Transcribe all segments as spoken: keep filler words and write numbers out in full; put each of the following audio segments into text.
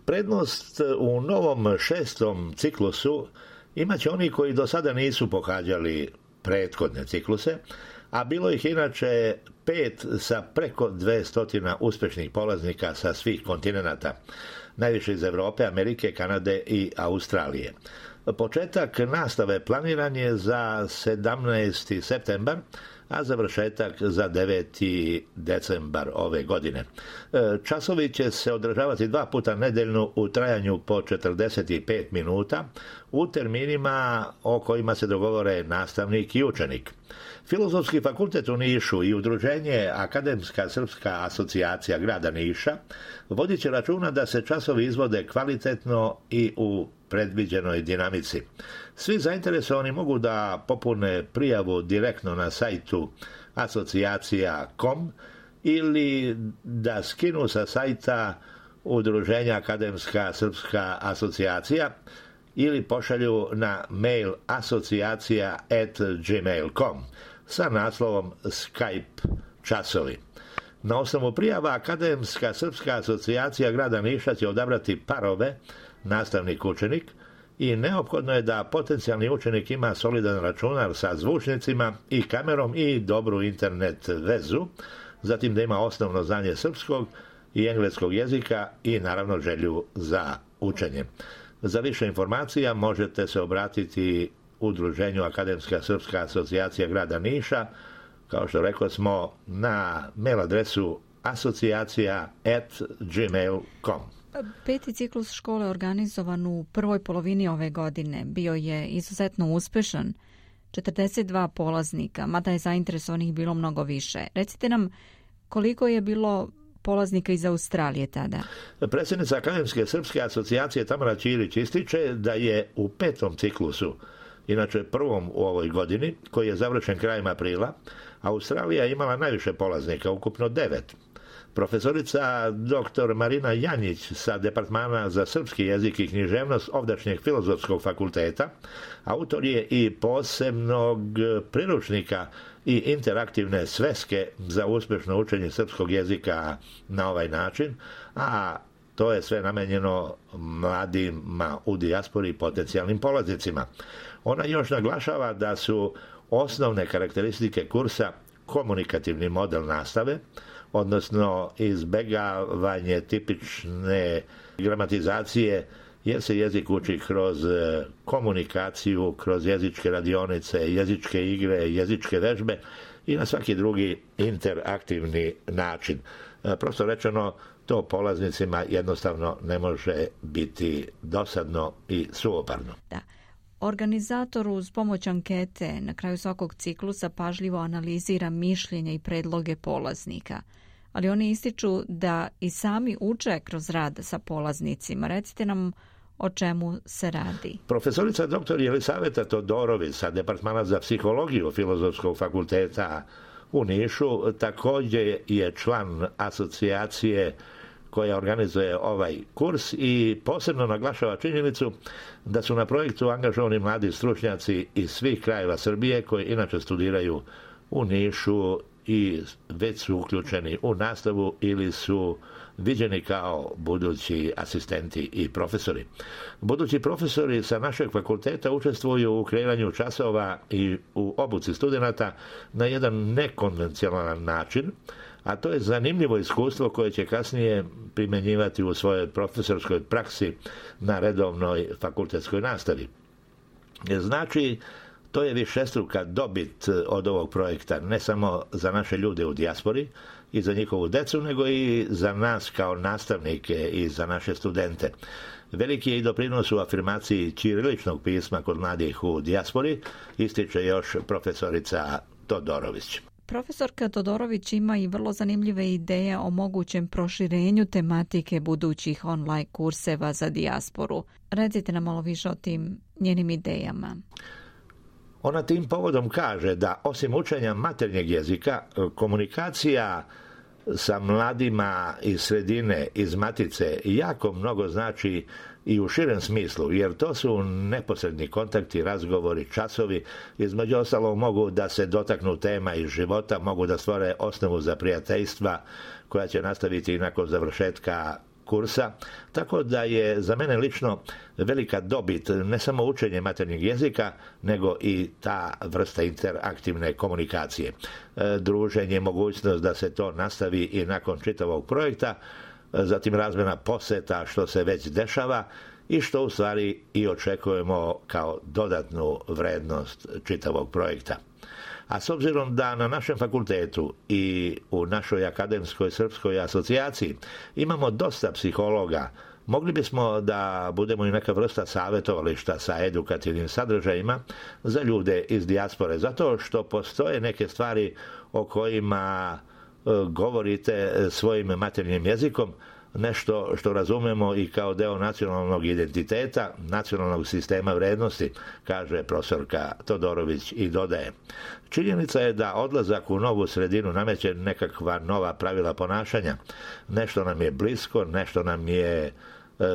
Prednost u novom šestom ciklusu imat će oni koji do sada nisu pohađali prethodne cikluse, a bilo ih inače pet sa preko dvesta uspješnih polaznika sa svih kontinenata, najviše iz Europe, Amerike, Kanade i Australije. Početak nastave planiran je za sedamnaesti septembar, a završetak za deveti decembar ove godine. Časovi će se održavati dva puta nedeljno u trajanju po četrdeset pet minuta u terminima o kojima se dogovore nastavnik i učenik. Filozofski fakultet u Nišu i udruženje Akademska srpska asocijacija grada Niša vodit će računa da se časovi izvode kvalitetno i u predviđenoj dinamici. Svi zainteresovani mogu da popune prijavu direktno na sajtu asocijacija tačka com ili da skinu sa sajta udruženja Akademska srpska asocijacija ili pošalju na mail asocijacija at gmail dot com sa naslovom Skype časovi. Na osnovu prijava Akademska srpska asocijacija grada Niša će odabrati parove nastavnik-učenik i neophodno je da potencijalni učenik ima solidan računar sa zvučnicima i kamerom i dobru internet vezu, zatim da ima osnovno znanje srpskog i engleskog jezika i naravno želju za učenje. Za više informacija možete se obratiti udruženju Akademska srpska asocijacija grada Niša, kao što rekli smo, na mail adresu asocijacija at gmail dot com. Peti ciklus škole organizovan u prvoj polovini ove godine bio je izuzetno uspešan, četrdeset dva polaznika, mada je zainteresovanih bilo mnogo više. Recite nam koliko je bilo polaznika iz Australije tada? Predsjednica Akademske srpske asocijacije Tamara Ćirić ističe da je u petom ciklusu, inače prvom u ovoj godini, koji je završen krajem aprila, Australija imala najviše polaznika, ukupno devet. Profesorica doktor Marina Janjić sa Departmana za srpski jezik i književnost ovdašnjeg Filozofskog fakulteta, autor je i posebnog priručnika i interaktivne sveske za uspješno učenje srpskog jezika na ovaj način, a to je sve namenjeno mladima u dijaspori i potencijalnim polaznicima. Ona još naglašava da su osnovne karakteristike kursa komunikativni model nastave, odnosno izbjegavanje tipične gramatizacije, jer se jezik uči kroz komunikaciju, kroz jezičke radionice, jezičke igre, jezičke vežbe i na svaki drugi interaktivni način. Prosto rečeno, to polaznicima jednostavno ne može biti dosadno i suvoparno. Da. Organizator uz pomoć ankete na kraju svakog ciklusa pažljivo analizira mišljenja i predloge polaznika, ali oni ističu da i sami uče kroz rad sa polaznicima. Recite nam o čemu se radi. Profesorica doktor Jelisaveta Todorović sa Departmana za psihologiju Filozofskog fakulteta u Nišu također je član asocijacije koja organizuje ovaj kurs i posebno naglašava činjenicu da su na projektu angažovani mladi stručnjaci iz svih krajeva Srbije koji inače studiraju u Nišu i već su uključeni u nastavu ili su viđeni kao budući asistenti i profesori. Budući profesori sa našeg fakulteta učestvuju u kreiranju časova i u obuci studenata na jedan nekonvencionalan način, a to je zanimljivo iskustvo koje će kasnije primjenjivati u svojoj profesorskoj praksi na redovnoj fakultetskoj nastavi. Znači, to je višestruka dobit od ovog projekta, ne samo za naše ljude u dijaspori i za njihovu decu, nego i za nas kao nastavnike i za naše studente. Veliki je i doprinos u afirmaciji ćiriličnog pisma kod mladih u dijaspori, ističe još profesorica Todorović. Profesorka Todorović ima i vrlo zanimljive ideje o mogućem proširenju tematike budućih online kurseva za dijasporu. Recite nam malo više o tim njenim idejama. Ona tim povodom kaže da osim učenja maternjeg jezika, komunikacija sa mladima iz sredine, iz matice, jako mnogo znači i u širem smislu, jer to su neposredni kontakti, razgovori, časovi, između ostalog mogu da se dotaknu tema iz života, mogu da stvore osnovu za prijateljstva koja će nastaviti i nakon završetka kursa, tako da je za mene lično velika dobit ne samo učenje maternjeg jezika, nego i ta vrsta interaktivne komunikacije. Druženje, mogućnost da se to nastavi i nakon čitavog projekta, zatim razmjena poseta što se već dešava i što u stvari i očekujemo kao dodatnu vrednost čitavog projekta. A s obzirom da na našem fakultetu i u našoj akademskoj srpskoj asocijaciji imamo dosta psihologa, mogli bismo da budemo i neka vrsta savjetovališta sa edukativnim sadržajima za ljude iz dijaspore, zato što postoje neke stvari o kojima govorite svojim maternjim jezikom, nešto što razumemo i kao deo nacionalnog identiteta, nacionalnog sistema vrednosti, kaže profesorka Todorović i dodaje. Činjenica je da odlazak u novu sredinu nameće nekakva nova pravila ponašanja. Nešto nam je blisko, nešto nam je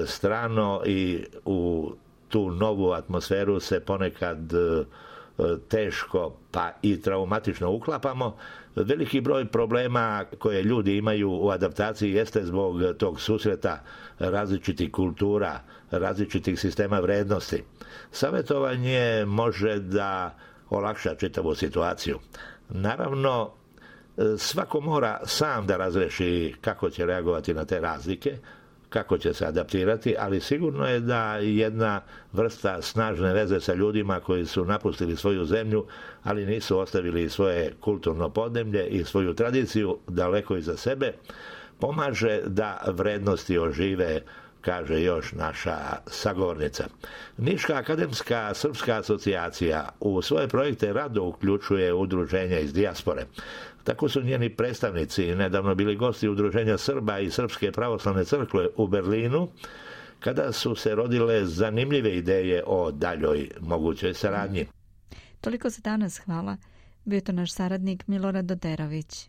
strano i u tu novu atmosferu se ponekad teško pa i traumatično uklapamo. Veliki broj problema koje ljudi imaju u adaptaciji jeste zbog tog susreta različitih kultura, različitih sistema vrednosti. Savjetovanje može da olakša čitavu situaciju. Naravno, svako mora sam da razreši kako će reagovati na te razlike, kako će se adaptirati, ali sigurno je da jedna vrsta snažne veze sa ljudima koji su napustili svoju zemlju, ali nisu ostavili svoje kulturno podneblje i svoju tradiciju daleko iza sebe, pomaže da vrednosti ožive, kaže još naša sagovornica. Niška akademska srpska asocijacija u svoje projekte rado uključuje udruženja iz dijaspore. Tako su njeni predstavnici nedavno bili gosti udruženja Srba i Srpske pravoslavne crkve u Berlinu, kada su se rodile zanimljive ideje o daljoj mogućoj saradnji. Toliko za danas, hvala. Bio to naš saradnik Milorad Doderović.